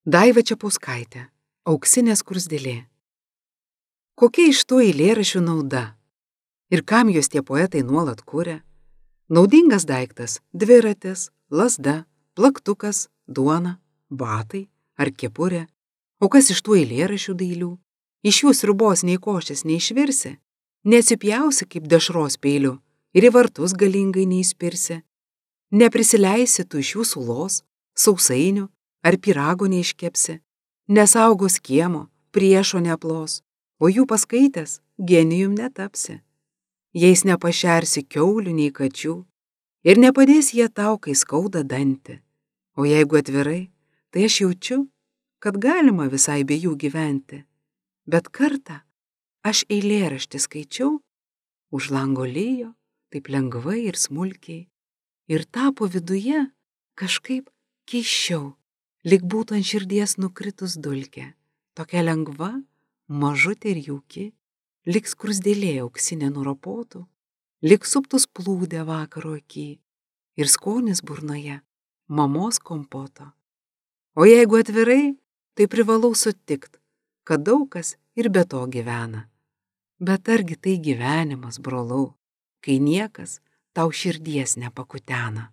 Daiva Čepauskaitė, Auksinė skruzdėlė. Kokia iš to eilėraščių nauda? Ir kam jos tie poetai nuolat kuria? Naudingas daiktas – dviratis, lazda, plaktukas, duona, batai ar kepurė. O kas iš tų eilėraščių dailių? Iš jų sriubos nei košės neišvirsi, neatsipjausi kaip dešros peiliu ir į vartus galingai neįspirsi. Neprisileisi tu iš jų sulos, sausainių ar pyrago neiškepsi, nesaugos kiemo, priešo neaplos, o jų paskaitęs genijum netapsi. Jais nepašersi kiaulių nei kačių ir nepadės jie tau, kai skauda dantį. O jeigu atvirai, tai aš jaučiu, kad galima visai be jų gyventi. Bet kartą aš eilėraštį skaičiau, už lango lijo, taip lengvai ir smulkiai, ir tapo viduje kažkaip keisčiau, lyg būtų ant širdies nukritus dulkė, tokia lengva, mažutė ir jauki, lyg skruzdėlė auksinė nuropotų, lyg suptus plūdė vakaro aky ir skonis burnoje mamos kompoto. O jeigu atvirai, tai privalau sutikt, kad daug kas ir be to gyvena. Bet argi tai gyvenimas, brolau, kai niekas tau širdies nepakutena?